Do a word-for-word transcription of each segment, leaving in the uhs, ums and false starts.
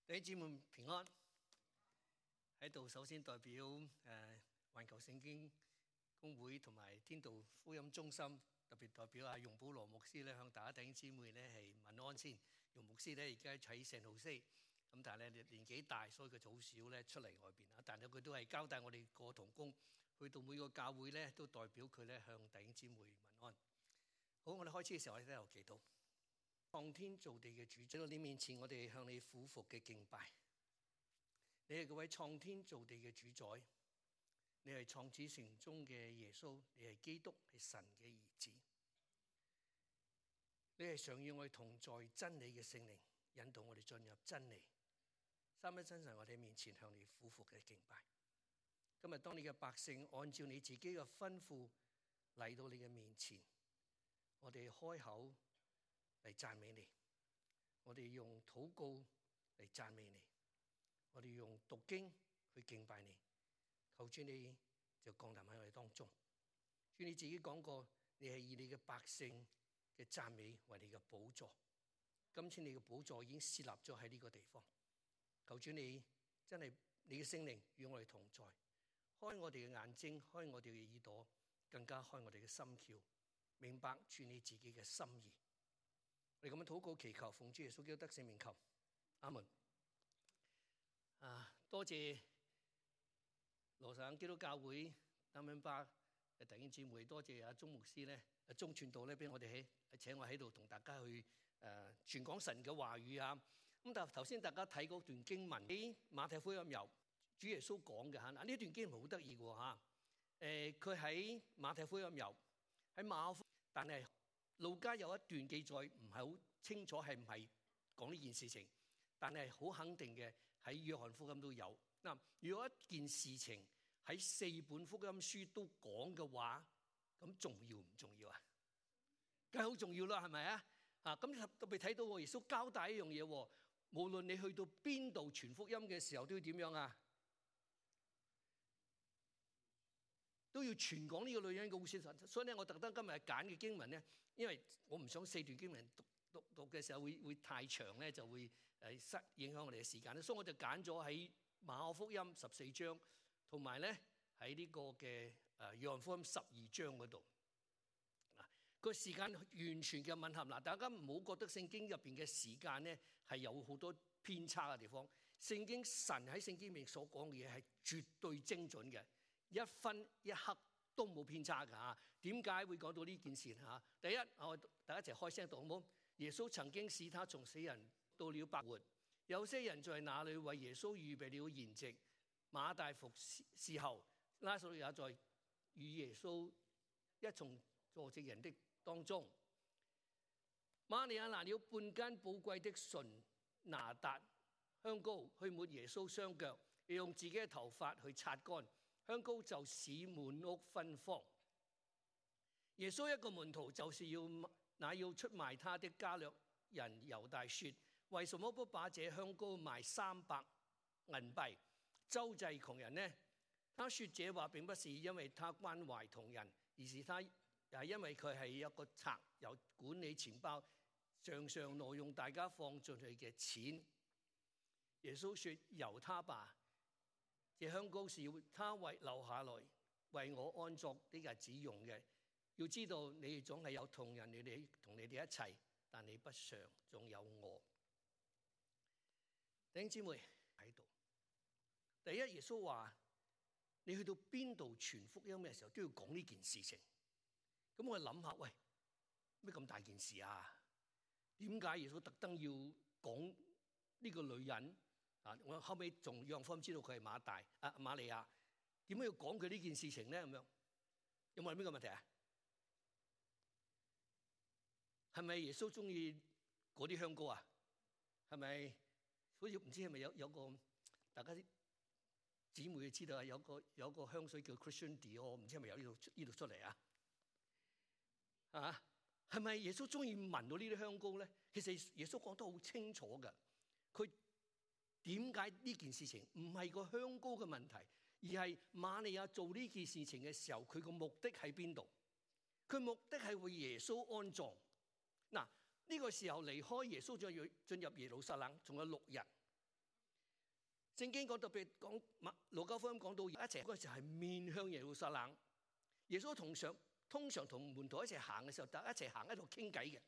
弟兄姊妹平安，喺度首先代表誒環球聖經公會同埋天道福音中心，特別代表阿容保羅牧師咧，向大家弟兄姊妹咧係問安先。容牧師咧而家喺聖荷西，咁但係咧年紀大，所以佢就好少咧出嚟外邊啊。但係佢都係交代我哋個同工，去到每個教會咧都代表佢咧向弟兄姊妹問安。好，我哋開始嘅時候，我哋都有祈禱。創天造地嘅主，喺到你面前，我哋向你俯伏嘅敬拜。你係嗰位創天造地嘅主宰，你係創始成終嘅耶穌，你係基督，係神嘅兒子。你係常與我哋同在，真理嘅聖靈引導我哋進入真理。三一真神，我哋面前向你俯伏嘅敬拜。今日當你嘅百姓按照你自己嘅吩咐嚟到你嘅面前，我哋開口嚟讚美你，我哋用禱告嚟讚美你，我哋用讀經去敬拜你。求主你就降臨喺我哋當中。主你自己講過，你係以你嘅百姓嘅讚美為你嘅寶座。今次你嘅寶座已經設立咗喺呢個地方。求主你真係你嘅聖靈與我哋同在，開我哋嘅眼睛，開我哋嘅耳朵，更加開我哋嘅心竅，明白主你自己嘅心意。我哋咁樣禱告祈求，奉主耶穌基督得勝名求，阿門。啊，多謝羅省基督教會丹恩巴嘅弟兄姊妹，多謝阿鐘牧師咧，阿鐘傳道咧，俾我哋喺請我喺度同大家去誒傳講神嘅話語啊。咁但係頭先大家睇嗰段經文喺馬太福音由主耶穌講嘅嚇，嗱呢段經文好得意嘅喎嚇。誒佢喺馬太福音由喺馬可，但係路加有一段記載唔係好清楚係唔係講呢件事情，但係好肯定嘅喺約翰福音都有。嗱，如果一件事情喺四本福音書都講嘅話，咁重要唔重要啊？梗係好重要啦，係咪啊？啊，咁特別睇到耶穌交代一樣嘢，無論你去到邊度傳福音嘅時候，都要點樣啊？都要傳講呢個女人嘅故事。所以咧，我特登今日揀嘅經文咧，因為我唔想四段經文讀讀讀嘅時候會會太長咧，就會誒失影響我哋嘅時間咧。所以我就揀咗喺馬可福音十四章，同埋咧喺呢個嘅誒約翰福音十二章嗰度。嗱，個時間完全嘅吻合。嗱，大家唔好覺得聖經入邊嘅時間咧係有好多偏差嘅地方。聖經神喺聖經入面所講嘅嘢係絕對精準嘅。一分一刻都冇偏差㗎嚇。點解會講到呢件事嚇？第一，我大家一齊開聲讀好唔好？耶穌曾經使他從死人到了百活，有些人在那裡為耶穌預備了筵席。馬大服侍候，拉撒路也在與耶穌一同坐席人的當中。瑪利亞拿了半斤寶貴的純拿達香膏去抹耶穌雙腳，又用自己嘅頭髮去擦乾。香膏就使滿屋芬芳。耶穌一個門徒就是要那要出賣他的加略人猶大說：為什麼不把這香膏賣三百銀幣，周濟窮人呢？他說這話並不是因為他關懷窮人，而是他係因為佢係一個賊，有管理錢包，常常挪用大家放進去嘅錢。耶穌說：由他吧。這香膏是要他為留下來為我安作的日子用嘅。要知道你哋總係有同人，你哋同你哋一齊，但你不常總有我。弟兄姊妹喺度，第一，耶穌話你去到邊度傳福音嘅時候都要講呢件事情。咁我諗下，喂，咩咁大件事啊？點解耶穌特登要講呢個女人？啊！我後尾仲約翰福音知道佢係馬大啊瑪利亞，點解要講佢呢件事情咧？咁樣有冇諗呢個問題啊？係咪耶穌中意嗰啲香膏啊？係咪好似唔知係咪有有個大家啲姊妹知道啊？有個有個香水叫 Christian Dior， 唔知係咪有呢度呢度出嚟啊？啊！係咪耶穌中意聞到呢啲香膏咧？其實耶穌講得好清楚㗎，佢。點解呢件事情唔係個香膏嘅問題，而係瑪利亞做呢件事情嘅時候，佢個目的喺邊度？佢目的係為耶穌安葬。嗱，呢個時候離開耶穌進入進入耶路撒冷，仲有六日。聖經講特別講馬路加福音講到一齊嗰陣時係面向耶路撒冷，耶穌同上通常同門徒一齊行嘅時候，大家一齊行喺度傾偈嘅，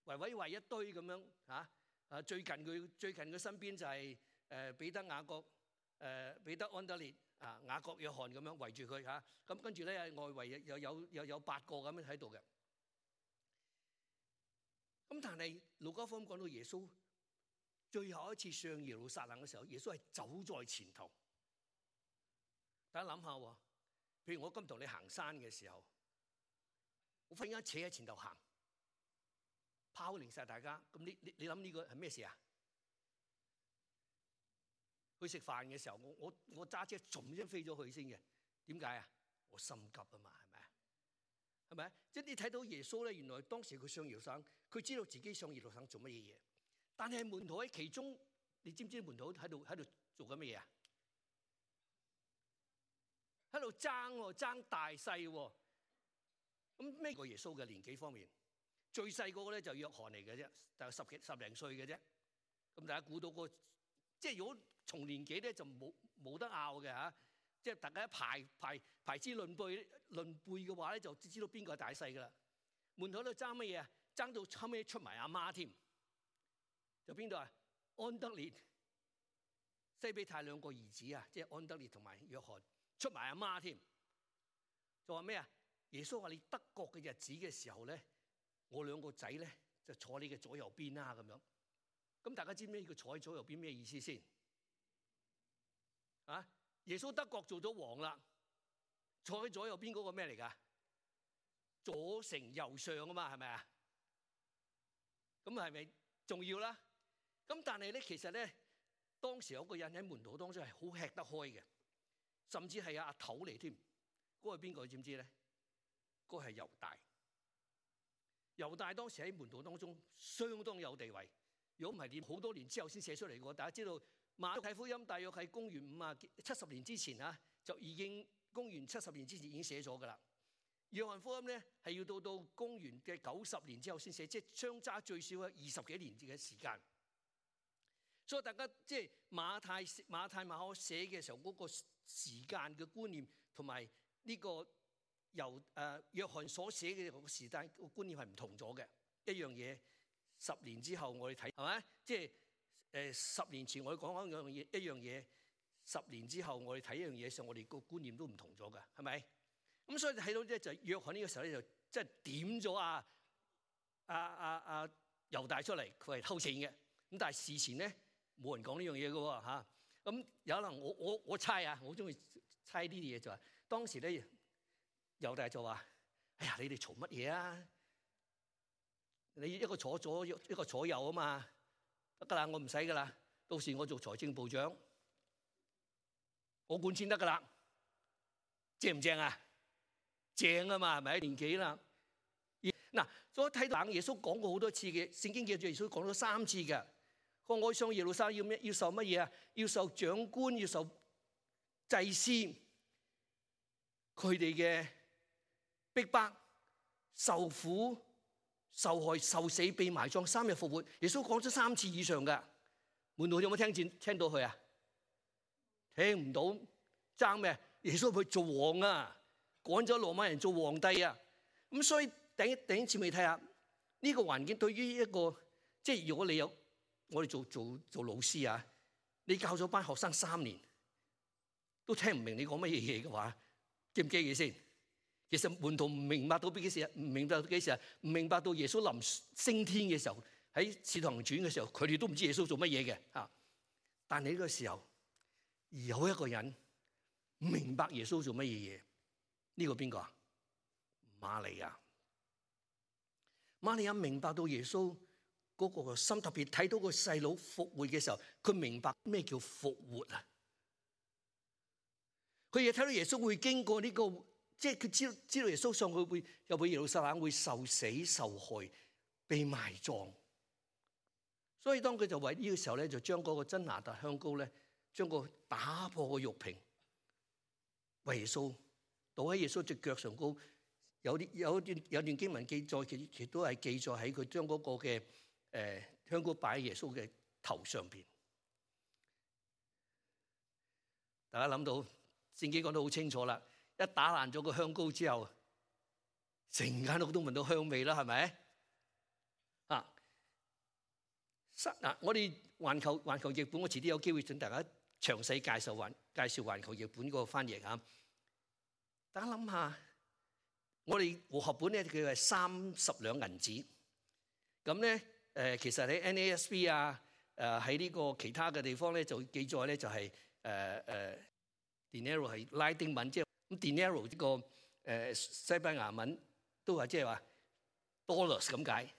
圍圍圍一堆咁樣嚇。啊，最近佢最近佢身邊就係誒彼得、雅各、誒彼得、安德烈啊、雅各、約翰咁樣圍住佢嚇。咁跟住咧外圍又有又有八個咁樣喺度嘅。咁但係路加福音講到耶穌最後一次上耶路撒冷嘅時候，耶穌係走在前頭。大家諗下喎，譬如我今同你行山嘅時候，我忽然間扯喺前頭行，拋離晒大家。咁你你你諗呢個係咩事啊？去食飯嘅時候，我我我揸車仲先飛咗去先嘅。點解啊？我心急啊嘛，係咪啊？係咪？即係你睇到耶穌咧，原來當時佢上耶路撒冷，佢知道自己上耶路撒冷做乜嘢嘢。但係門徒喺其中，你知唔知門徒喺度喺度做緊乜嘢啊？喺度爭喎，爭大細喎。咁咩個耶穌嘅年紀方面，最細個咧就約翰嚟嘅啫，大概十幾十零歲嘅啫。咁大家估到個，即係如果從年紀咧就冇冇得拗嘅嚇。即係大家一排排排之論輩論輩嘅話咧，就知道邊個係大細噶啦。門徒喺度爭乜嘢啊？爭到後尾出埋阿媽添。就邊度啊？安德烈、西比太兩個兒子啊，即係安德烈同埋約翰，出埋阿媽添。就話咩啊？耶穌話你得國嘅日子嘅時候咧，我兩個仔咧就坐你嘅左右邊啦咁樣。咁大家知唔知呢個坐喺左右邊咩意思先？啊？耶穌得國做咗王啦，坐喺左右邊嗰個咩嚟㗎？左丞右相啊嘛，係咪啊？咁係咪重要啦？咁但係咧，其實咧，當時有個人喺門徒當中係好吃得開嘅，甚至係阿頭嚟添。嗰個係邊個？知唔知咧？嗰個係猶大。猶大當時喺門徒當中相當有地位。如果唔係，你好多年之後先寫出嚟嘅。大家知道。馬太福音大約喺公元五啊七十年之前啊，就已經公元七十年之前已經寫咗噶啦。約翰福音咧係要到到公元嘅九十年之後先寫，即係相差最少係二十幾年嘅時間。所以大家即係馬太馬太馬可寫嘅時候嗰個時間嘅觀念，同埋呢個由誒約翰所寫嘅個時間個觀念係唔同咗嘅。一樣嘢十年之後我哋睇係咪？即係。誒十年前我哋講緊一樣嘢，一樣嘢十年之後我哋睇一樣嘢上，我哋個觀念都唔同咗㗎，係咪？咁所以睇到咧就約翰呢個時候咧就即係點咗啊啊啊啊猶大出嚟，佢係偷錢嘅。咁但係事前咧冇人講呢樣嘢㗎喎嚇。咁有可能我我我猜啊，我中意猜呢啲嘢就係當時咧猶大就話：哎呀，你哋嘈乜嘢啊？你一個坐左一個坐右啊嘛。得噶啦，我唔使噶啦。到時我做財政部長，我管錢得噶啦，正唔正啊？正啊嘛，係咪？年紀啦。嗱，所以睇到耶穌講過好多次嘅，聖經記住耶穌講咗三次嘅。佢話我上耶路撒冷要咩？要受乜嘢啊？要受長官，要受祭司，佢哋嘅逼迫、受苦。受害、受死、被埋葬，三日復活。耶穌講咗三次以上㗎，門徒有冇聽見？聽到佢啊？聽唔到，爭咩？耶穌去做王啊，趕咗羅馬人做皇帝啊。咁所以第一第一次未睇下呢個環境，對於一個即係如果你有我哋做做做老師啊，你教咗班學生三年都聽唔明你講乜嘢嘢嘅話，記唔記嘅先？其實門徒唔明白到幾時啊？唔明白到幾時啊？唔明白到耶穌臨升天嘅時候，喺使徒行傳嘅時候，佢哋都唔知耶穌做乜嘢嘅嚇。但係呢個時候，有一個人唔明白耶穌做乜嘢嘢，呢個邊個啊？瑪利亞。瑪利亞明白到耶穌嗰個心，特別睇到個細佬復活嘅時候，佢明白咩叫復活啊！佢亦睇到耶穌會經過呢個。即係佢知道知道耶穌上去會入去耶路撒冷會受死受害被埋葬，所以當佢就為呢個時候咧，就將嗰個真哪噠香膏咧，將個打破個玉瓶為耶穌倒喺耶穌隻腳上高。有啲有一段有段經文記載，其其都係記載喺佢將嗰個嘅誒香膏擺喺耶穌嘅頭上邊。大家諗到聖經講得好清楚啦，一打爛咗個香膏之後，成間屋都聞到香味啦，係咪？啊，嗱，我哋環球環球譯本，我遲啲有機會請大家詳細介紹環介紹環球譯本嗰個翻譯嚇。大家諗下，我哋和合本咧佢係三十兩銀子，咁咧誒其實喺 N A S B 啊誒喺呢個其他嘅地方咧就記載咧就係誒誒 dinero 係拉丁文，即係咁 dinero 呢個誒西班牙文都係即係話 dollars 咁解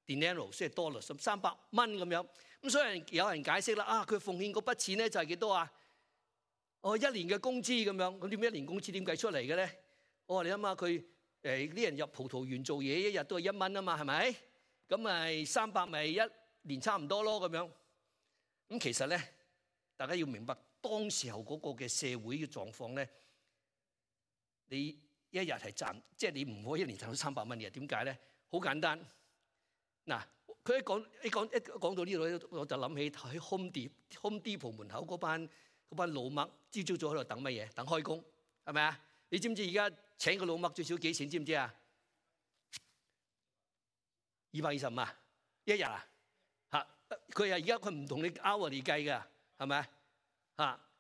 dinero 即係 dollars 三百蚊咁樣。咁所以有人解釋啦，啊佢奉獻嗰筆錢咧就係幾多啊？哦，一年嘅工資咁樣，咁點解一年工資點計出嚟嘅咧？我話你諗下佢誒啲人入葡萄園做嘢，一日都係一蚊啊嘛，係咪？咁咪三百咪一年差唔多咯咁樣。咁其實咧，大家要明白當時候嗰個嘅社會嘅狀況咧，你一日係賺，即係你唔可以一年賺到三百蚊嘅。點解咧？好簡單。嗱，佢一講一講一講到呢度，我就諗起喺 Home Depot Home Depot 門口嗰班嗰班老麥，朝朝早喺度等乜嘢？等開工，係咪啊？你知唔知而家請個老麥最少幾錢？知唔知啊？二百二十五啊，一日啊嚇！佢係而家佢唔同你 hour 嚟計㗎，係咪啊？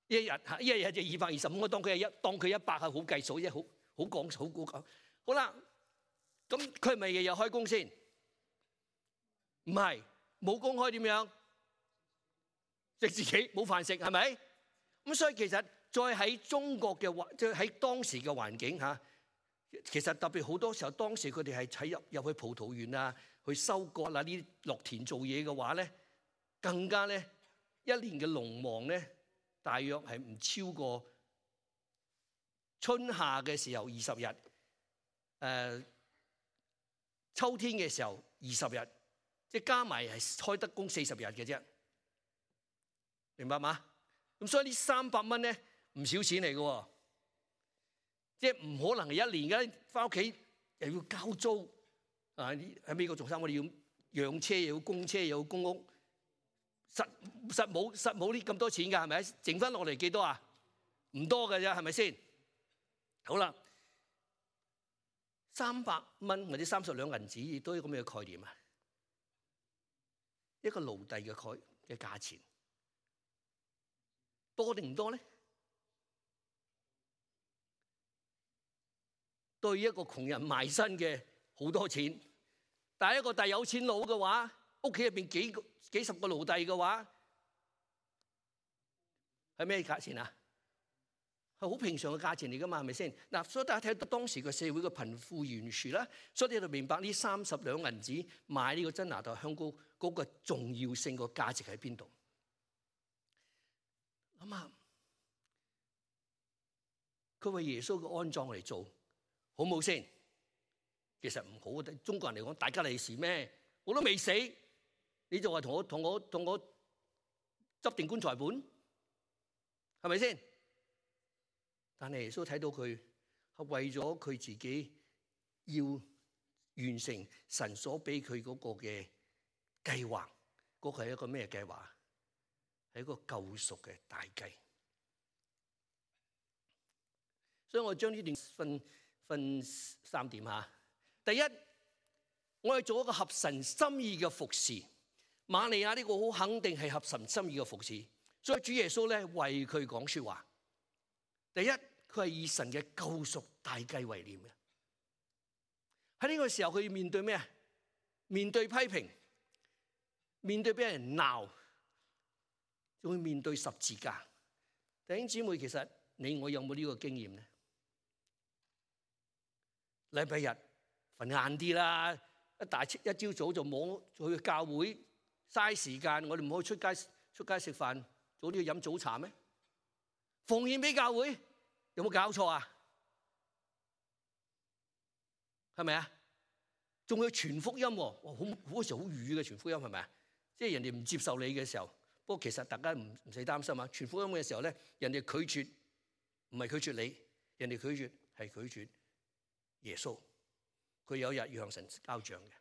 一日嚇一日就二百二十五，我當佢係一當佢一百係好計數啫，好好講好估講。好啦，咁佢係咪日日開工先？唔係，冇工開點樣？食自己冇飯食係咪？咁所以其實再喺中國嘅環，即係喺當時嘅環境嚇，其實特別好多時候，當時佢哋係喺入入去葡萄園啊，去收割啊，呢啲落田做嘢嘅話咧，更加咧一年嘅農忙咧，大約係唔超過春夏嘅時候二十日，誒、呃、秋天嘅時候二十日，即係加埋係開得工四十日嘅啫。明白嘛？咁所以呢三百蚊咧唔少錢嚟嘅喎，即係唔可能係一年嘅，翻屋企又要交租啊！喺美國做生意，我哋要養車，又要供車，又要供屋，實實冇實冇呢咁多錢㗎，係咪？剩翻落嚟幾多啊？唔多㗎啫，係咪先？好啦，三百蚊或者三十兩銀子，亦都係咁嘅概念啊！一個奴隸嘅概嘅價錢。多定唔多咧？對一個窮人賣身嘅好多錢，但係一個大有錢佬嘅話，屋企入邊幾個幾十個奴隸嘅話，係咩價錢啊？係好平常嘅價錢嚟㗎嘛，係咪先？嗱，所以大家睇到當時個社會嘅貧富懸殊啦，所以你就明白呢三十兩銀子買呢個真哪噠香膏嗰個重要性、個價值喺邊度？諗下，佢為耶穌嘅安葬嚟做，好冇先？其實唔好。對中國人嚟講，大吉利是咩？我都未死，你就話同我同我同我執定棺材本，係咪先？但係耶穌睇到佢係為咗佢自己要完成神所俾佢嗰個嘅計劃，嗰個係一個咩計劃？係一個救贖嘅大計，所以我將呢段分分三點嚇。第一，我哋做一個合神心意嘅服侍。瑪利亞呢個好肯定係合神心意嘅服侍，所以主耶穌咧為佢講説話。第一，佢係以神嘅救贖大計為念嘅。喺呢個時候，佢要面對咩啊？面對批評，面對俾人鬧。仲會面對十字架。弟兄姊妹，其實你我有冇呢個經驗咧？禮拜日瞓晏啲啦，一大一朝早就冇去教會，嘥時間。我哋唔可以出街出街食飯，早啲去飲早茶咩？奉獻俾教會，有冇搞錯啊？係咪啊？仲要傳福音喎，好好嗰時好瘀嘅傳福音係咪啊？即係人哋唔接受你嘅時候。不過其實大家唔唔使擔心啊！傳福音嘅時候咧，人哋拒絕唔係拒絕你，人哋拒絕係拒絕耶穌。佢有一日要向神交賬嘅，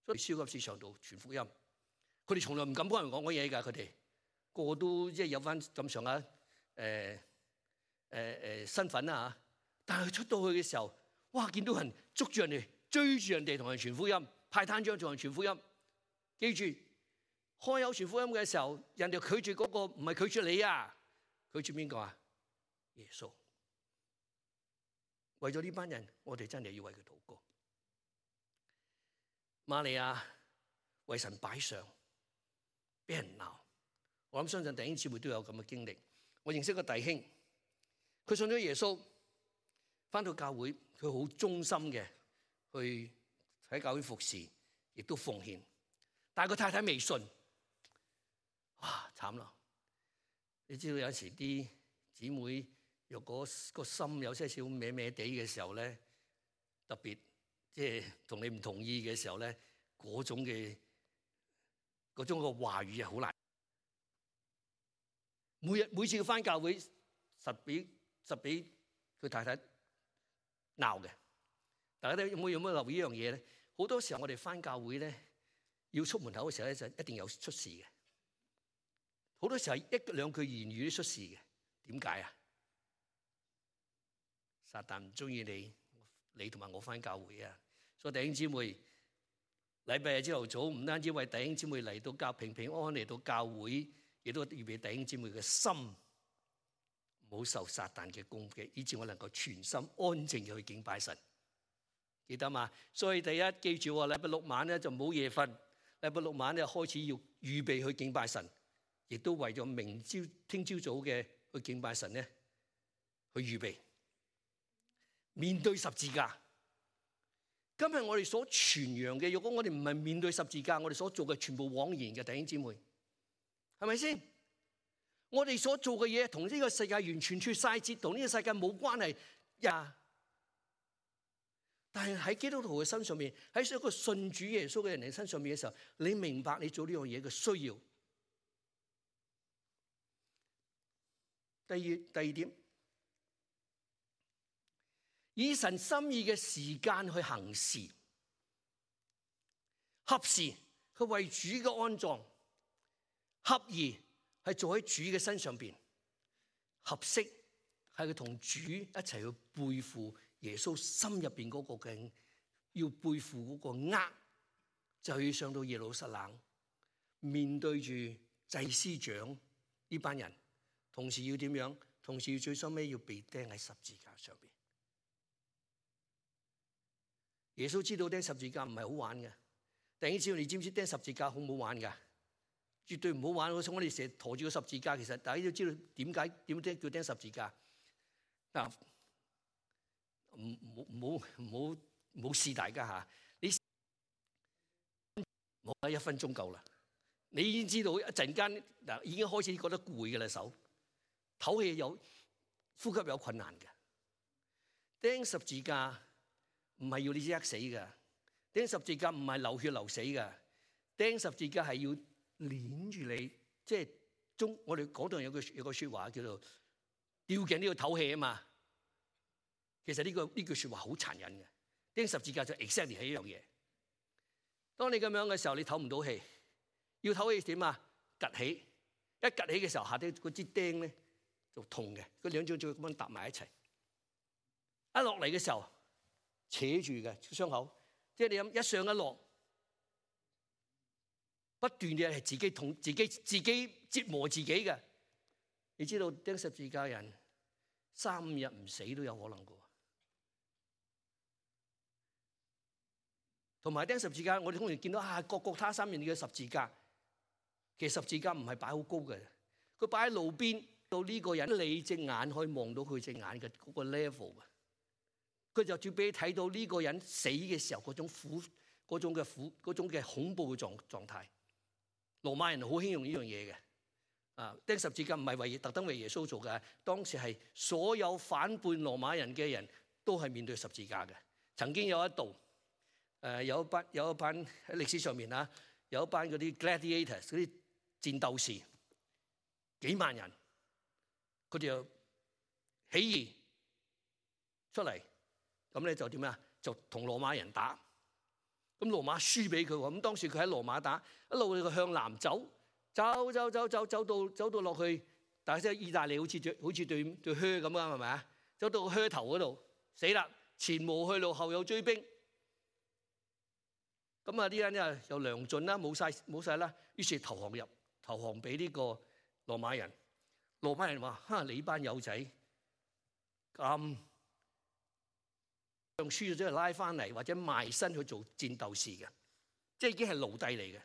所以超級市場度傳福音，佢哋從來唔敢幫人講嗰嘢㗎。佢哋個個都即係有翻咁上下誒誒誒身份啊嚇，但係出到去嘅時候，哇！見到人捉住人哋，追住人哋同人傳福音，派單張同人傳福音。記住，開口傳福音嘅時候，人哋拒絕嗰個唔係拒絕你啊，拒絕邊個啊？耶穌。為咗呢班人，我哋真係要為佢禱告。瑪利亞為神擺上，俾人鬧。我諗相信弟兄姊妹都有咁嘅經歷。我認識個弟兄，佢信咗耶穌，返到教會，佢好忠心嘅去喺教會服侍，亦都奉獻。但係個太太未信，哇慘啦！你知道有時啲姊妹若果個心有些少歪歪地嘅時候咧，特別即係同你唔同意嘅時候咧，嗰種嘅嗰種個話語係好難。每日每次佢返教會，實俾實俾佢太太鬧嘅。大家都有冇有冇留意呢樣嘢咧？好多時候我哋返教會咧，要出門口嘅時候咧，就一定有出事嘅。好多時候一兩句言語都出事嘅。點解啊？撒旦唔中意你，你同埋我返教會啊！所以弟兄姊妹，禮拜日朝頭早唔單止為弟兄姊妹嚟到教平平安安嚟到教會，亦都預備弟兄姊妹嘅心唔好受撒旦嘅攻擊，以致我能夠全心安靜嘅去敬拜神。記得嘛？所以第一記住喎，禮拜六晚咧就唔好夜瞓，禮拜六晚咧開始要預備去敬拜神，亦都為咗明朝聽朝早嘅去敬拜神咧去預備。面對十字架，今日我哋所傳揚嘅，如果我哋唔係面對十字架，我哋所做嘅全部枉然嘅，弟兄姊妹，係咪先？我哋所做嘅嘢同呢個世界完全脫晒節，同呢個世界冇關係呀。但係喺基督徒嘅身上面，喺一個信主耶穌嘅人嘅身上面嘅時候，你明白你做呢樣嘢嘅需要。第二第二點。以神心意嘅時間去行事，合時去為主嘅安葬，合宜係做喺主嘅身上邊，合適係佢同主一齊去背負耶穌心入邊嗰個嘅要背負嗰個軛，就要上到耶路撒冷，面對住祭司長呢班人，同時要點樣？同時要最收尾要被釘喺十字架上邊。耶穌知道釘十字架唔係好玩嘅，弟兄姊妹，你知唔知釘十字架好唔好玩噶？絕對唔好玩。我哋成日馱住個十字架，其實大家都知道點解點釘叫釘十字架。嗱，唔唔唔好唔好唔好試大家吓，你冇得一分鐘夠啦。你已經知道一陣間嗱，已經開始覺得攰嘅啦，手唞氣有呼吸有困難嘅。釘十字架唔係要你即刻死㗎，釘十字架唔係流血流死㗎，釘十字架係要鏈住你，即係中我哋嗰度有句有個説話叫做吊頸都要唞氣啊嘛。其實呢個呢句説話好殘忍嘅，釘十字架就 exactly 係一樣嘢。當你咁樣嘅時候，你唞唔到氣，要唞氣點啊？趌起，一趌起嘅時候，下底嗰支釘咧就痛嘅，佢兩張就咁樣搭埋一齊，一落嚟嘅時候，扯住嘅傷口，即係你諗一上一落，不斷嘅係自己痛，自己自己折磨自己嘅。你知道釘十字架人三五日唔死都有可能嘅，同埋釘十字架，我哋通常見到啊，各各他三面嘅十字架，其實十字架唔係擺好高嘅，佢擺喺路邊，到呢個人你隻眼可以望到佢隻眼嘅嗰個 level 嘅。佢就要俾你睇到呢個人死嘅時候嗰種苦、嗰種嘅苦、嗰種嘅恐怖嘅狀狀態。羅馬人好興用呢樣嘢嘅，啊釘十字架唔係為特登為耶穌做嘅，當時係所有反叛羅馬人嘅人都係面對十字架嘅。曾經有一度，誒有一班有一班喺歷史上面啊，有一班嗰啲 gladiators 嗰啲戰鬥士，幾萬人，佢哋就起義出嚟。咁咧就點啊？就同羅馬人打，咁羅馬輸俾佢喎。咁當時佢喺羅馬打，一路佢向南走，走走走走走到走到落去但係即係意大利好似對好似對對靴咁啊，係咪啊？走到個靴頭嗰度死啦，前無去路，後有追兵。咁啊啲人咧又糧盡啦，冇晒冇晒啦，於是投降入投降俾呢個羅馬人。羅馬人話：哈，你班友仔咁讓輸咗之後拉翻嚟，或者賣身去做戰鬥士嘅，即係已經係奴隸嚟嘅。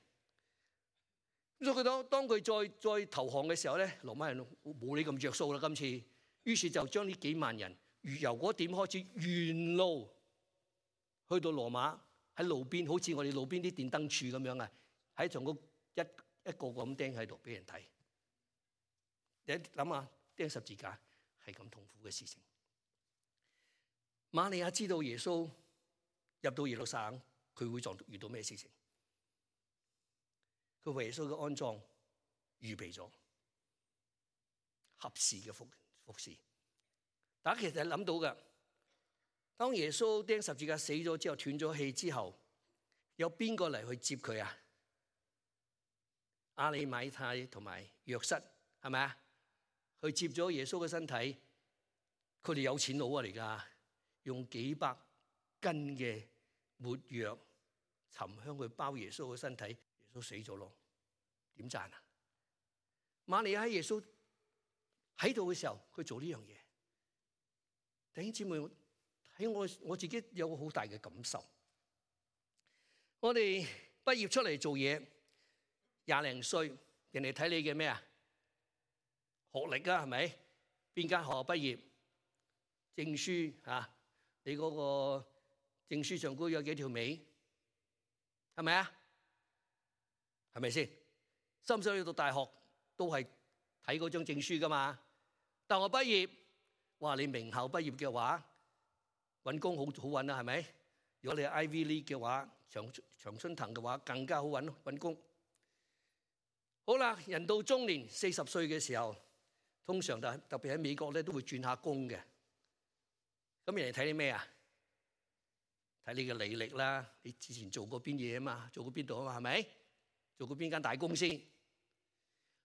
咁所以佢當當佢再再投降嘅時候咧，羅馬人冇你咁着數啦。今次，於是就將呢幾萬人由嗰點開始沿路去到羅馬，喺路邊，好似我哋路邊啲電燈柱咁樣啊，喺從個一一個個咁釘喺度俾人睇。你諗下，釘十字架係咁痛苦嘅事情。瑪利亞知道耶穌入到耶路撒冷，佢會撞遇到咩事情？佢為耶穌嘅安葬預備咗合時嘅服服侍。大家其實係諗到嘅，當耶穌釘十字架死咗之後，斷咗氣之後，有邊個嚟去接佢啊？亞利馬太同埋約瑟係咪啊？去接咗耶穌嘅身體，佢哋有錢佬啊嚟㗎，用幾百斤嘅沒藥、沉香去包耶穌嘅身體。耶穌死咗咯，點讚啊？瑪利亞喺耶穌喺度嘅時候，佢做呢樣嘢。弟兄姊妹，喺我我自己有個好大嘅感受。我哋畢業出嚟做嘢，廿零歲，人哋睇你嘅咩啊？學歷啊，係咪？邊間學校畢業？證書啊？你嗰個證書上高有幾條尾？係咪啊？係咪先？深唔深去到大學都係睇嗰張證書噶嘛？大學畢業，哇！你名校畢業嘅話，揾工好好揾啦，係咪？如果你係 Ivy League 嘅話，長長春藤嘅話，更加好揾揾工。好啦，人到中年四十歲嘅時候，通常特特別喺美國咧都會轉下工嘅。咁人哋睇你咩啊？睇你嘅履歷啦，你之前做過邊嘢啊嘛？做過邊度啊嘛？係咪？做過邊間大公司？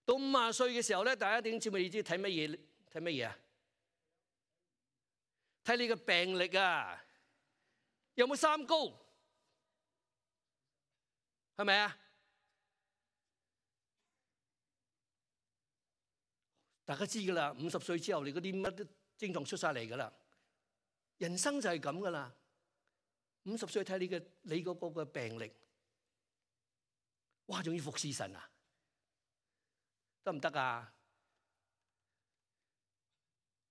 到五十歲嘅時候咧，大家點知咪？你知睇乜嘢？睇乜嘢啊？睇你嘅病歷啊，有冇三高？係咪啊？大家知噶啦，五十歲之後你嗰啲乜都症狀出晒嚟噶啦。人生就係咁噶啦。五十歲睇你嘅你嗰個嘅病歷，哇！仲要服侍神啊？得唔得啊？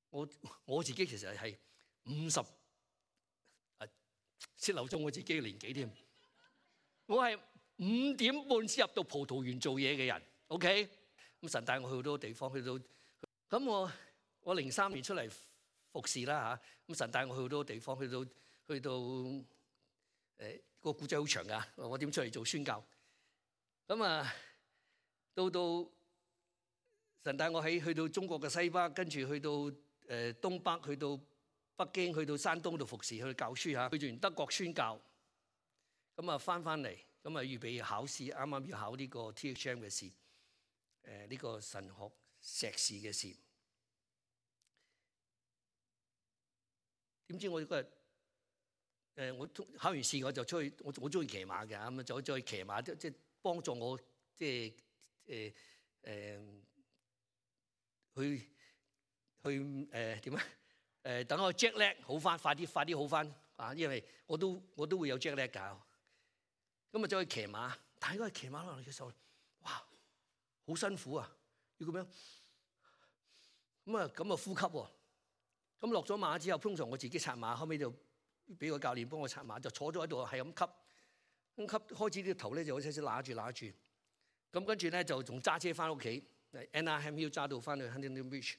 我我自己其實係五十啊，泄漏咗我自己嘅年紀添。我係五點半先入到葡萄園做嘢嘅人。OK，咁神帶我去好多地方，去到咁我我零三年出嚟服侍啦嚇。咁神帶我去好多地方，去到去到誒、呃、個故仔好長噶。我點出嚟做宣教？咁啊，到到神帶我喺去到中國嘅西北，跟住去到誒東北，去到北京，去到山東度服侍，去教書嚇。去完德國宣教，咁啊翻翻嚟，咁啊預備考試，啱啱要考呢個 T H M 嘅試，誒呢個神學碩士嘅試。點知我嗰日誒我考完試我就出去，我我中意騎馬嘅，咁啊就再騎馬，即即幫助我即係誒誒去去誒點啊？誒等我 jet lag 好翻，快啲快啲好翻啊！因為我都我都會有 jet lag 㗎。咁啊走去騎馬，但係嗰個騎馬落嚟嘅時候，哇，好辛苦啊！要咁樣咁啊咁啊呼吸喎。咁落咗馬之後，通常我自己策馬，後尾就俾個教練幫我策馬，就坐咗喺度係咁吸，咁吸開始呢個頭咧就好似似揦住揦住，咁跟住咧就仲揸車翻屋企 ，Anaheim Hill 揸到翻去 Huntington Beach。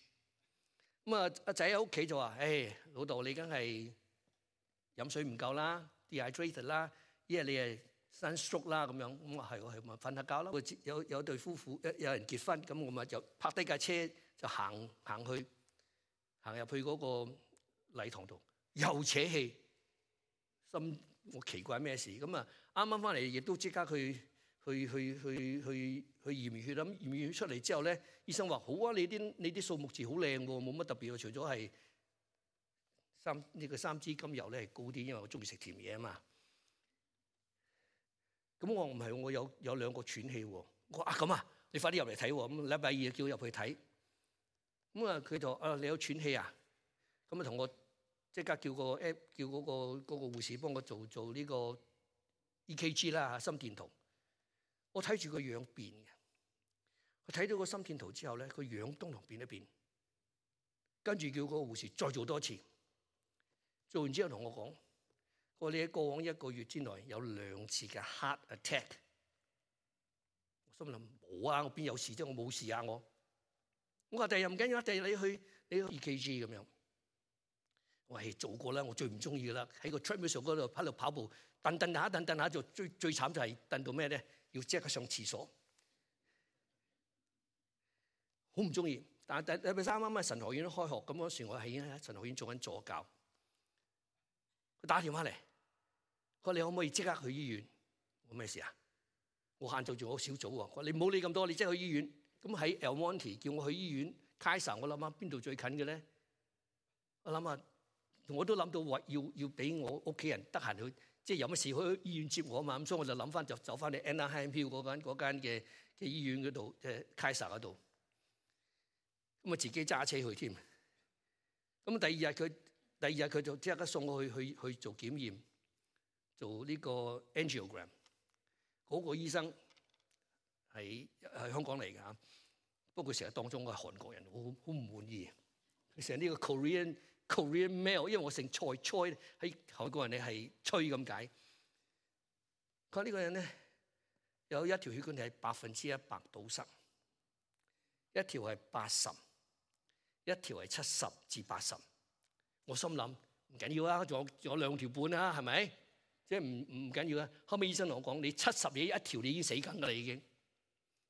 咁啊阿仔喺屋企就話：，誒、hey, 老豆你梗係飲水唔夠啦 ，dehydrated 啦，因為你係 sunstroke 啦咁樣。咁啊係喎係，咪瞓下覺咯。有有對夫婦有人結婚，咁我咪就泊低架車就行行去。行入去嗰個禮堂度，又扯氣，心我奇怪咩事？咁啊，啱啱翻嚟亦都即刻去去去去去去驗完血啦，驗完血出嚟之後咧，醫生話好啊，你啲你啲數目字好靚喎，冇乜特別喎，除咗係三呢個三脂甘油咧係高啲，因為我中意食甜嘢啊嘛。咁我唔係，我有有兩個喘氣喎。我話啊咁啊，你快啲入嚟睇喎。咁禮拜二叫我入去睇。咁啊，佢就啊你有喘氣啊？咁啊同我即刻叫個 app 叫嗰個嗰個護士幫我做做呢個 E K G 啦，心電圖。我睇住個樣變嘅，我睇到個心電圖之後咧，個樣都同變一變。跟住叫嗰個護士再做多次。做完之後同我講：我哋喺過往一個月之內有兩次嘅 heart attack。我心諗冇啊，我邊有事啫？我冇事啊！我我話第日唔緊要，第日你去你去 E K G 咁樣。我係做過啦，我最唔中意啦，喺個 treadmill 嗰度喺度跑步，蹬蹬下蹬蹬下，就最最慘就係蹬到咩咧？要即刻上廁所，好唔中意。但係禮拜三啱啱神學院開學，咁嗰時我係已經喺神學院做緊助教。佢打電話嚟，佢話你可唔可以即刻去醫院？我咩事啊？我限制住我小組喎。佢話你唔好理咁多，你即刻去醫院。咁喺 El Monte 叫我去醫院 Kaiser， 我諗下邊度最近嘅咧？我諗下，我都諗到話要要俾我屋企人得閒去，即係有乜事去醫院接我啊嘛。咁所以我就諗翻就走翻去 Anaheim Hill 嗰間嗰間嘅嘅醫院嗰度，即係 Kaiser 嗰度。咁啊自己揸車去添。咁第二日佢第二日佢就即刻送我去去去做檢驗，做呢個 angiogram。嗰個醫生係係香港嚟㗎嚇，不過佢成日當中我係韓國人，好好唔滿意。佢成日呢個 Korean Korean male，因為我姓蔡，蔡喺韓國人你係崔咁解。佢話呢個人咧有一條血管係百分之一百堵塞，一條係八十，一條係七十至八十。我心諗唔緊要啊，仲有仲有兩條半啊，係咪？即係唔唔緊要啊。後尾醫生同我講：你七十嘢一條，你已經死緊㗎啦，已經。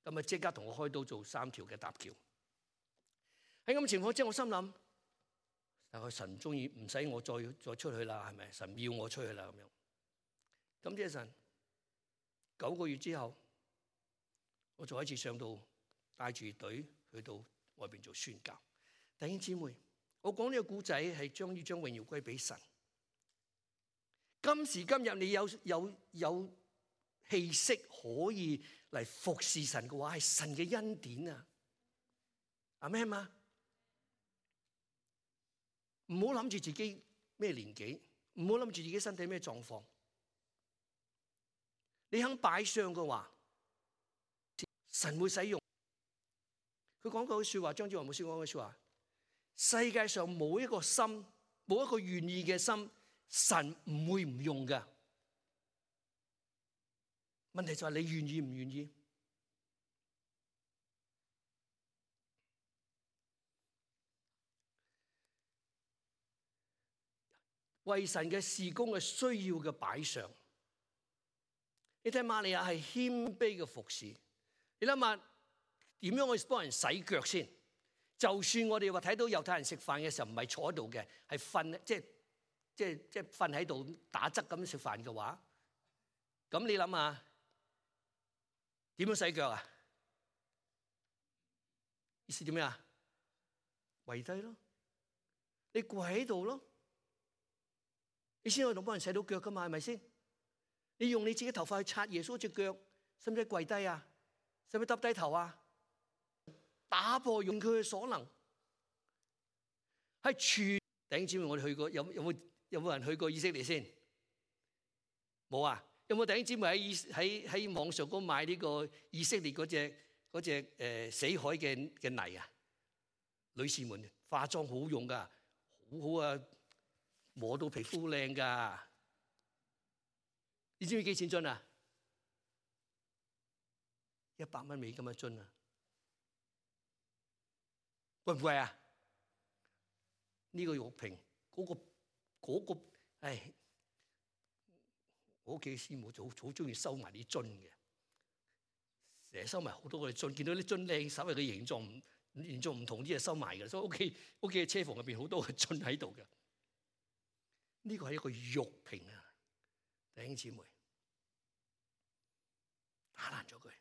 咁啊，即刻同我開刀做三條嘅搭橋。喺咁嘅情況之下，我心諗，但係神中意唔使我再再出去啦，係咪？神要我出去啦咁樣。咁即係神九個月之後，我再一次上到帶住隊去到外邊做宣教。弟兄姊妹，我講呢個故仔係將要將榮耀歸俾神。今時今日你有有有氣息可以嚟服侍神嘅話，係神嘅恩典啊！阿咩嘛？唔好諗住自己咩年紀，唔好諗住自己身體咩狀況。你肯擺上嘅話，神會使用。佢講過句說話，張志華牧師講句說話：世界上冇一個心，冇一個願意嘅心，神唔會唔用㗎。問題就係你願意唔願意？為神嘅事工嘅需要嘅擺上。你睇瑪利亞係謙卑嘅服侍。你諗下點樣去幫人洗腳先？就算我哋話睇到猶太人食飯嘅時候唔係坐喺度嘅，係瞓，即係即係即係瞓喺度打側咁食飯嘅話，咁你諗下點樣洗腳啊？意思點樣啊？跪低咯，你跪喺度咯。你先可以同幫人洗到腳噶嘛，係咪先？你用你自己頭髮去擦耶穌隻腳，使唔使跪低啊？使唔使耷低頭啊？打破用佢嘅所能，係全弟兄姊妹，我哋去過，有有冇有冇人去過以色列先？冇啊？有冇弟兄姊妹喺喺喺網上嗰買呢個以色列嗰隻嗰隻誒死海嘅嘅泥啊？女士們化妝好用噶，好好啊！摸到皮膚靚㗎，你知唔知幾錢樽啊？一百蚊美金一樽啊，貴唔貴啊？呢、這個玉瓶嗰、那個嗰、那個，唉，我屋企師母就好好中意收埋啲樽嘅，成日收埋好多個樽，見到啲樽靚，稍微嘅形狀唔形狀唔同啲就收埋嘅，所以屋企屋企嘅車房入邊好多個樽喺度嘅。呢個係一個玉瓶啊，弟兄姊妹，打爛咗佢。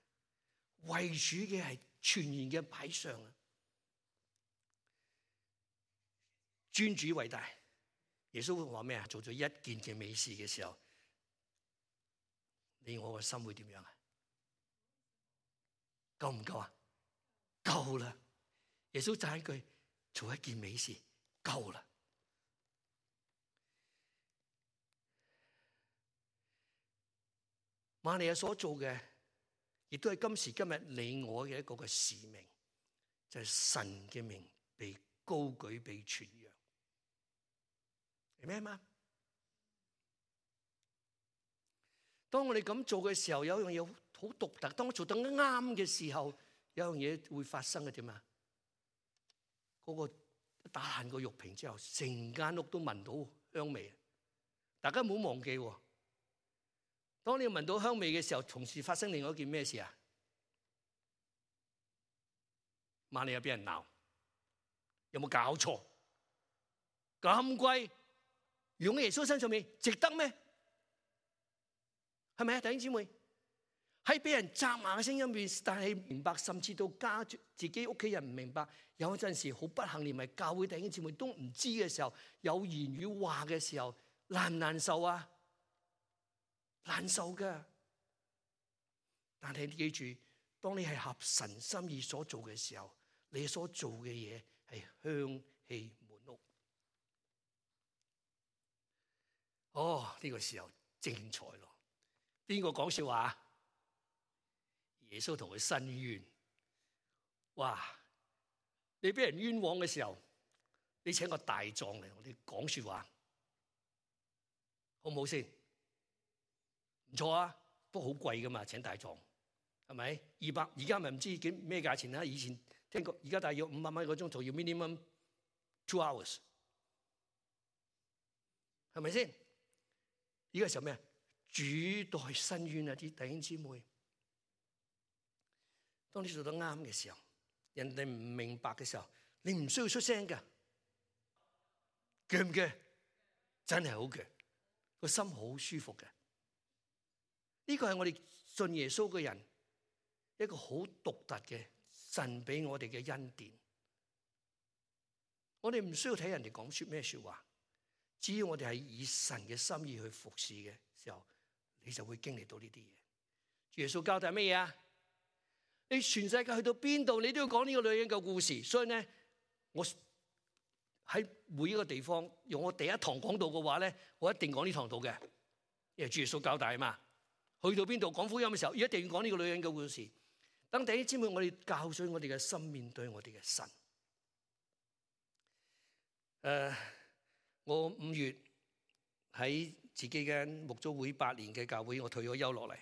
為主嘅係全然嘅擺上啊！尊主為大。耶穌會話咩啊？做咗一件嘅美事嘅時候，你我個心會點樣啊？夠唔夠啊？夠啦！耶穌讚一句：做一件美事，夠啦！瑪利亞所做嘅，亦都係今時今日你我嘅一個嘅使命，就係神嘅名被高舉、被傳揚。係咩嘛？當我哋咁做嘅時候，有一樣嘢好獨特。當我做得啱嘅時候，有一樣嘢會發生嘅點啊？嗰個打爛個玉瓶之後，成間屋都聞到香味。大家唔好忘記，當你聞到香味嘅時候，同時發生另外一件咩事啊？瑪利亞俾人鬧，有冇搞錯？咁貴用喺耶穌身上面，值得咩？係咪啊，弟兄姊妹？喺俾人責罵嘅聲音面，但係明白，甚至到家自己屋企人唔明白，有陣時好不幸，連埋教會弟兄姊妹都唔知嘅時候，有言語話嘅時候，難唔難受啊？難受噶。但係你記住，當你係合神心意所做嘅時候，你所做嘅嘢係香氣滿屋。哦，呢個時候精彩咯！邊個講笑話？耶穌同佢申冤。哇！你俾人冤枉嘅時候，你請個大狀嚟，我哋講說話，好唔好先？唔錯啊，不過好貴噶嘛，請大狀係咪？二百，而家咪唔知幾咩價錢啦。以前聽過，而家大約五百蚊一個鐘頭，要 minimum two hours，係咪先？呢個時候咩？主代申冤啊！啲弟兄姊妹，當你做得啱嘅時候，人哋唔明白嘅時候，你唔需要出聲㗎，鋸唔鋸？真係好鋸，個心好舒服嘅。呢個係我哋信耶穌嘅人一個好獨特嘅神俾我哋嘅恩典。我哋唔需要睇人哋講說咩說話，只要我哋係以神嘅心意去服侍嘅時候，你就會經歷到呢啲嘢。耶穌交代乜嘢啊？你全世界去到邊度，你都要講呢個女人嘅故事。所以咧，我喺每一個地方用我第一堂講道嘅話咧，我一定講呢堂道嘅，因為主耶穌交代啊嘛。去到邊度講福音嘅時候，一定要講呢個女人嘅故事。等弟兄姊妹，我哋教訓我哋嘅心，面對我哋嘅神。誒、呃，我五月喺自己間牧組會八年嘅教會，我退咗休落嚟。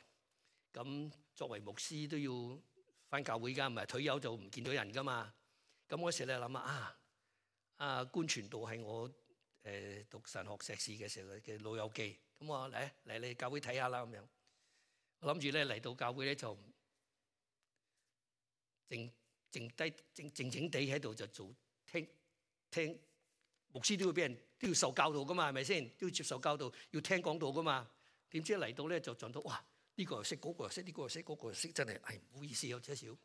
咁作為牧師都要返教會㗎，唔係退休就唔見到人㗎嘛。咁嗰時咧諗下啊，啊官傳道係我誒、呃、讀神學碩士嘅時候嘅老友記。咁我嚟嚟嚟教會睇下啦咁樣。我諗住咧嚟到教會咧就靜靜低靜靜靜地喺度就做聽聽，牧師都要俾人都要受教導噶嘛，係咪先？都要接受教導，要聽講道噶嘛。點知嚟到咧就撞到哇！呢個又識，嗰個又識，呢個又識，嗰個又識，真係係唔好意思有少少。係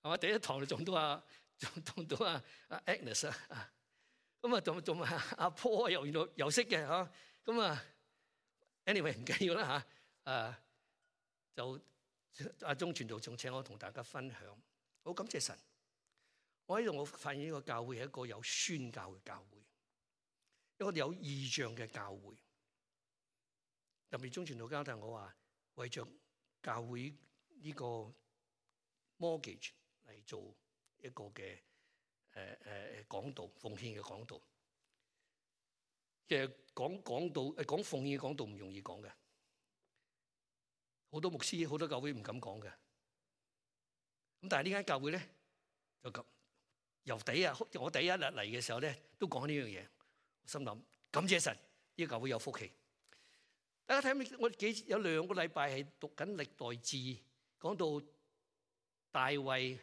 嘛？第一堂就撞到啊，撞到啊啊 Agnes 啊，咁啊仲仲啊阿 Paul 又原來又識嘅嚇，咁啊 anyway 唔緊要啦嚇，啊就阿鐘傳道仲請我同大家分享，好感謝神。我喺度我發現呢個教會係一個有宣教嘅教會，一個有異象嘅教會。特別鐘傳道交代我話，為着教會呢個 mortgage 嚟做一個嘅誒誒講道奉獻嘅講道。其實講講道誒講奉獻嘅講道唔容易講嘅。好多牧師、好多教會唔敢講嘅，咁但係呢間教會咧就咁由第一日我第一日嚟嘅時候咧都講呢樣嘢，我心諗感謝神，呢個教會有福氣。大家睇我幾有兩個禮拜係讀緊歷代志，講到大衛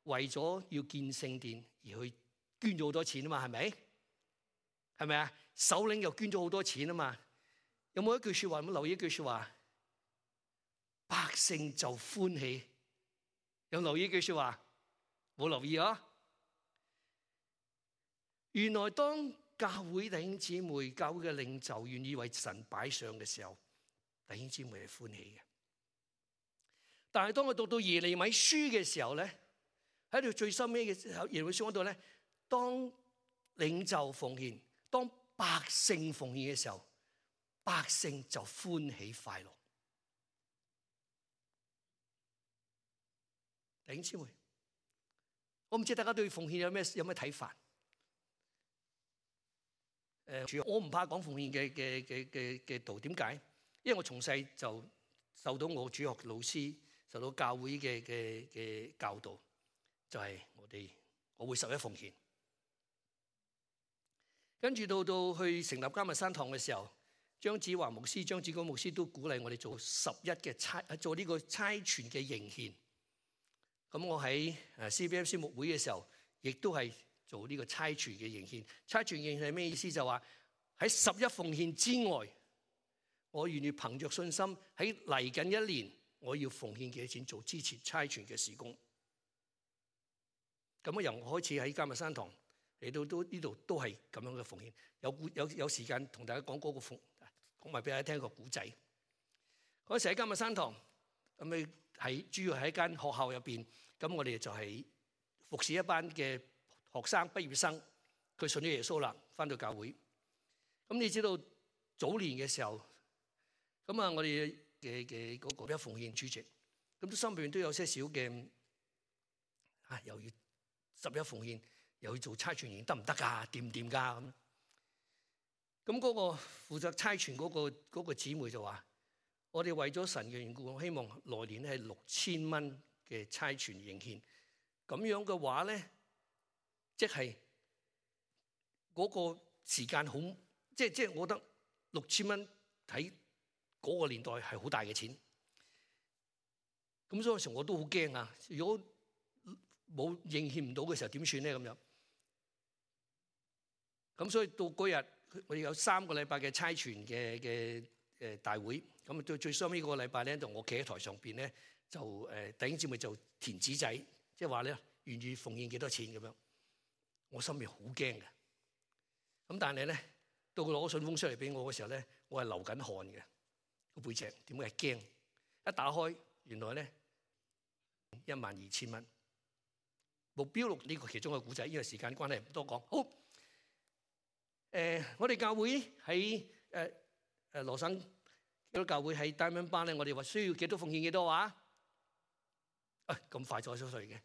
為咗要建聖殿而去捐咗好多錢啊嘛，係咪？係咪啊？首領又捐咗好多錢啊嘛。有冇一句説話？有冇留意一句説話？百姓就歡喜。有留意呢句說話？冇留意啊？原來當教會弟兄姊妹、教會嘅領袖願意為神擺上嘅時候，弟兄姊妹係歡喜嘅。但係當我讀到耶利米書嘅時候咧，喺度最深尾嘅時候，耶利米書嗰度咧，當領袖奉獻，當百姓奉獻嘅時候，百姓就歡喜快樂。弟兄姊妹，我唔知大家對奉獻有咩有咩睇法？誒，我唔怕講奉獻嘅嘅嘅嘅嘅道，點解？因為我從細就受到我主學老師、受到教會嘅嘅嘅教導，就係我哋我會十一奉獻。跟住到到去成立迦密山堂嘅時候，張子華牧師、張子光牧師都鼓勵我哋做十一嘅差，做呢個差傳嘅迎獻。咁我喺誒 C B F C 牧會嘅時候，亦都係做呢個差傳嘅迎獻。差傳迎獻係咩意思？就話喺十一奉獻之外，我願意憑着信心喺嚟緊一年，我要奉獻幾多錢做支持差傳嘅事工。咁啊，由我開始喺迦密山堂嚟到都呢度都係咁樣嘅奉獻。有有有時間同大家講嗰個奉，講埋俾大家聽個古仔。嗰時喺迦密山堂咁咪。喺主要喺一間學校入邊，咁我哋就係服侍一班嘅學生畢業生，佢信咗耶穌啦，返到教會。咁你知道早年嘅時候，咁啊我哋嘅嘅嗰個一奉獻主席，咁都心裏邊都有些少嘅，啊又要十一奉獻，又要做差傳營，得唔得㗎？掂唔掂㗎？咁，咁嗰個負責差傳嗰個嗰個姊妹就話。我哋為咗神嘅緣故，我希望來年係六千蚊嘅差傳迎獻。咁樣嘅話咧，即係嗰個時間好，即係即係我覺得六千蚊喺嗰個年代係好大嘅錢。咁所以嗰時我都好驚啊！如果冇應獻唔到嘅時候點算咧？咁樣。咁所以到嗰日我哋有三個禮拜嘅差傳嘅嘅誒大會。咁到最收尾嗰個禮拜咧，就我企喺台上邊咧，就誒弟兄姊妹就填紙仔，即係話咧願意奉獻幾多錢咁樣。我心入好驚嘅。咁但係咧，到佢攞信封出嚟俾我嘅時候咧，我係流緊汗嘅個背脊，點解係驚？一打開，原來咧一萬二千蚊。目標錄呢個其中嘅古仔，因為時間關係唔多講。好，誒、呃，我哋教會喺誒誒羅省。基督教會喺 Diamond Bar 咧，我哋話需要幾多奉獻幾多話？啊，咁快咗出嚟嘅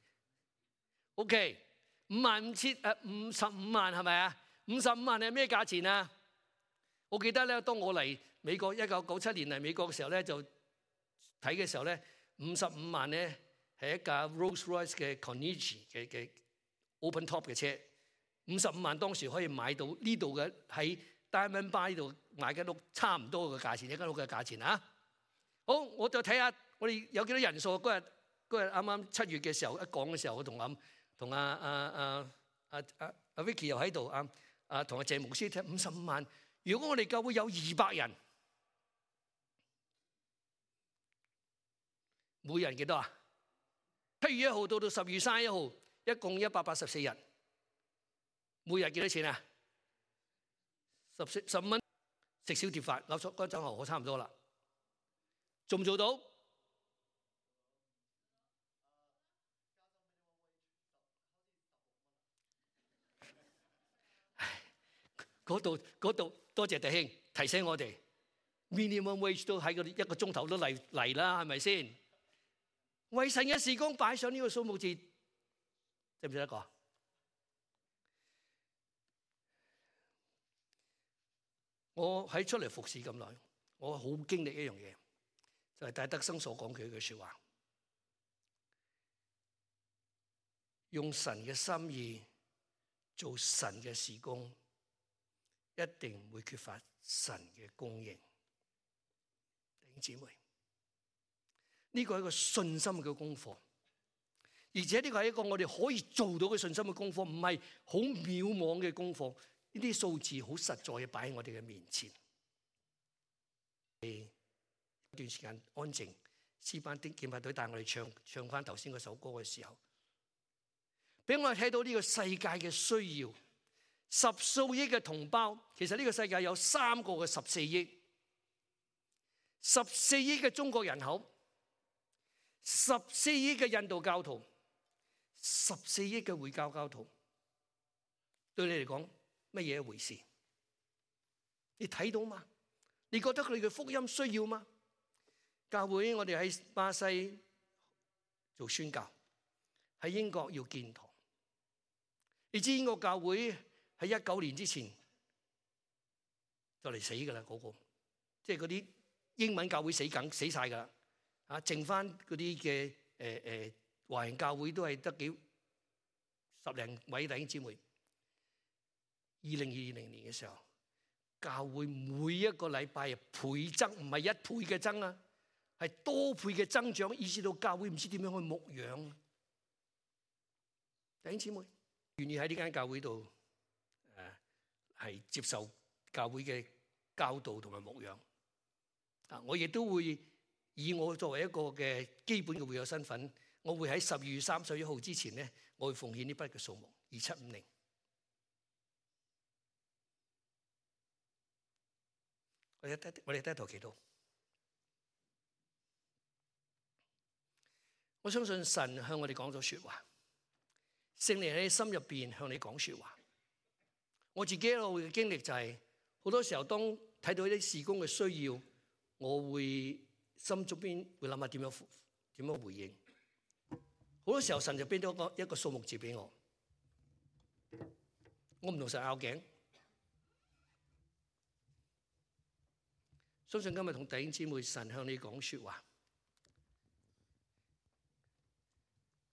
？OK， 五萬五千誒五十五萬係咪啊？五十五萬係咩價錢啊？我記得咧，當我嚟美國一九九七年嚟美國嘅時候咧，就睇嘅時候咧，五十五萬咧係一架 Rolls Royce 嘅 Carnegie 嘅嘅 Open Top 嘅車，五十五萬當時可以買到呢度嘅喺 Diamond Bar 呢度。買間屋差唔多嘅價錢，一間屋嘅價錢啊！好，我就睇下我哋有幾多人數。嗰日嗰日啱啱七月嘅時候一講嘅時候，我同阿同阿阿阿阿阿阿 Vicky 又喺度啊啊，同阿謝牧師聽五十五萬。如果我哋教會有二百人，每人幾多啊？七月一號到到十月三十一號，一共一百八十四日，每日幾多錢啊？十四十五蚊。食小碟飯，嗰嗰陣我差唔多啦，做唔做到？嗰度嗰度，多謝弟兄提醒我哋 ，minimum wage 都喺個一個鐘頭都嚟嚟啦，係咪先？為神嘅事工擺上呢個數目字，值唔值得講？我喺出嚟服侍咁耐，我好經歷一樣嘢，就係戴德生所講嘅一句説話：用神嘅心意做神嘅事工，一定唔會缺乏神嘅供應。弟兄姊妹，呢個係一個信心嘅功課，而且呢個係一個我哋可以做到嘅信心嘅功課，唔係好渺茫嘅功課。呢啲數字好實在嘅擺喺我哋嘅面前。一段時間安靜，詩班啲敬拜隊帶我哋唱唱翻頭先嗰首歌嘅時候，俾我哋睇到呢個世界嘅需要。十數億嘅同胞，其實呢個世界有三個嘅十四億，十四億嘅中國人口，十四億嘅印度教徒，十四億嘅回教教徒，對你嚟講乜嘢一回事？你睇到嗎？你覺得佢哋嘅福音需要嗎？教會我哋喺巴西做宣教，喺英國要建堂。你知英國教會喺一九年之前就嚟死噶啦，嗰個即係嗰啲英文教會死梗死晒噶啦，啊，剩翻嗰啲嘅誒誒華人教會都係得幾十零位弟兄姊妹。二零二零年嘅時候，教會每一個禮拜倍增，唔係一倍嘅增啊，係多倍嘅增長，以致到教會唔知點樣去牧養。弟兄姊妹願意喺呢間教會度誒係接受教會嘅教導同埋牧養啊！我亦都會以我作為一個嘅基本嘅會友身份，我會喺十二月三十一號之前咧，我會奉獻呢筆嘅數目二七五零。我哋低我哋低頭祈禱。我相信神向我哋講咗說話，聖靈喺心入邊向你講說話。我自己一路嘅經歷就係、是，好多時候當睇到一啲事工嘅需要，我會心中邊會諗下點樣點樣回應。好多時候神就俾咗個一個數目字俾我，我唔同神拗頸。相信今日同弟兄姊妹，神向你講說話，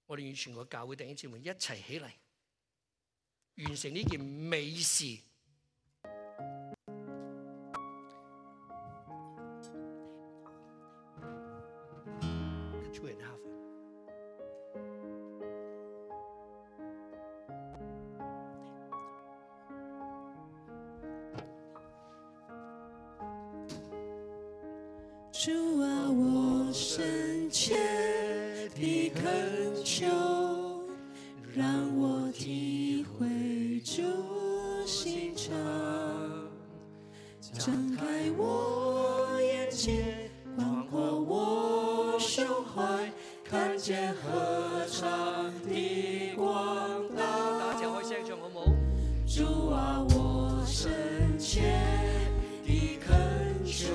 我哋與全個教會弟兄姊妹一齊起嚟，完成呢件美事。主啊，我深切地懇求，讓我體會主心腸，張開我眼界，廣闊我胸懷，看見何長的廣大。大家一齊開聲唱好唔好？主啊，我深切地懇求，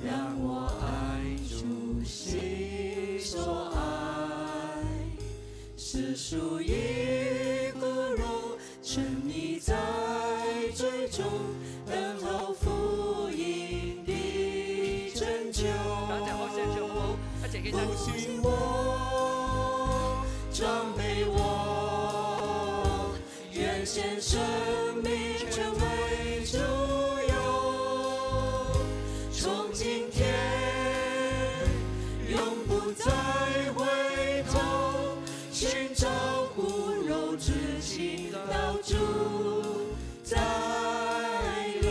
讓我愛主心所愛，世俗一骨肉，沉溺在罪中，等候福音的拯救。大家開聲唱好唔好？一齊起身。復興我，裝備我，願獻生命成為主有。從今天永不再回頭，尋找骨肉之情到主再臨。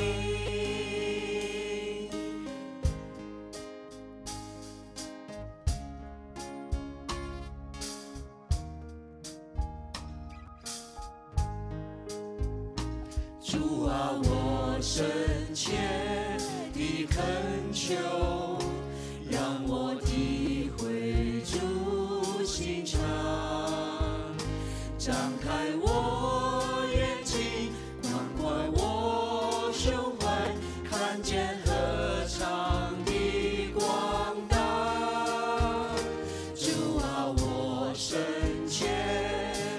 主啊，我深切地懇求，讓我體會主心腸，張開我眼睛，廣闊我胸懷，看見何長的廣大。主啊，我深切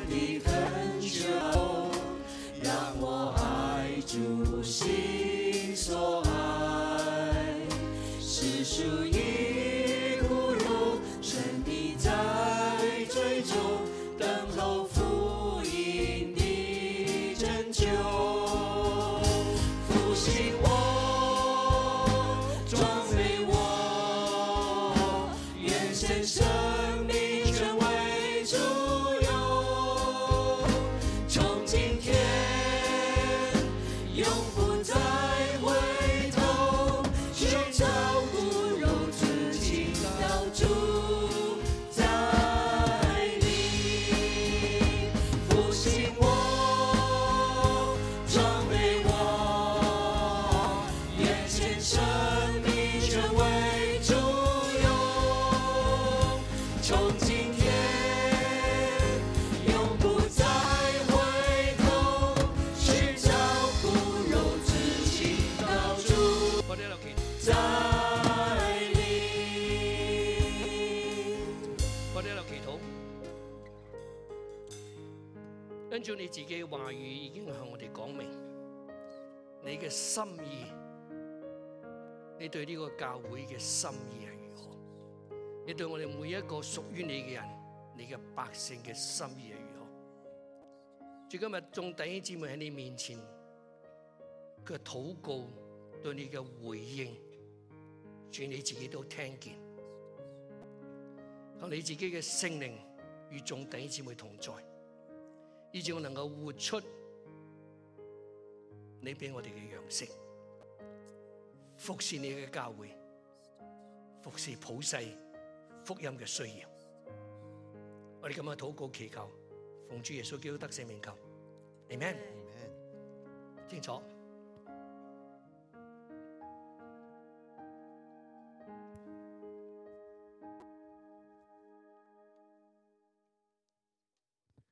地懇求，讓我愛主心所愛，世俗一骨肉，沉溺在罪中，等候福音的拯救。復興我，裝備我，願獻生命成為主有。從今天永不再回頭，尋找骨肉之情。從今天永不再回頭，尋找苦肉自己到主我哋一路祈再臨。我哋一路祈禱，跟住你自己嘅話語已經向我哋講明你嘅心意，你對呢個教會嘅心意係如何？你對我哋每一個屬於你嘅人，你嘅百姓嘅心意係如何？主，今日眾弟兄姊妹喺你面前，佢嘅禱告對你嘅回應，主你自己都聽見。求你自己嘅聖靈與眾弟兄姊妹同在，以致我能夠活出你俾我哋嘅樣式，服侍你嘅教會，服侍普世福音嘅需要。我哋咁樣禱告祈求，奉主耶穌基督得勝名求，阿們。清楚。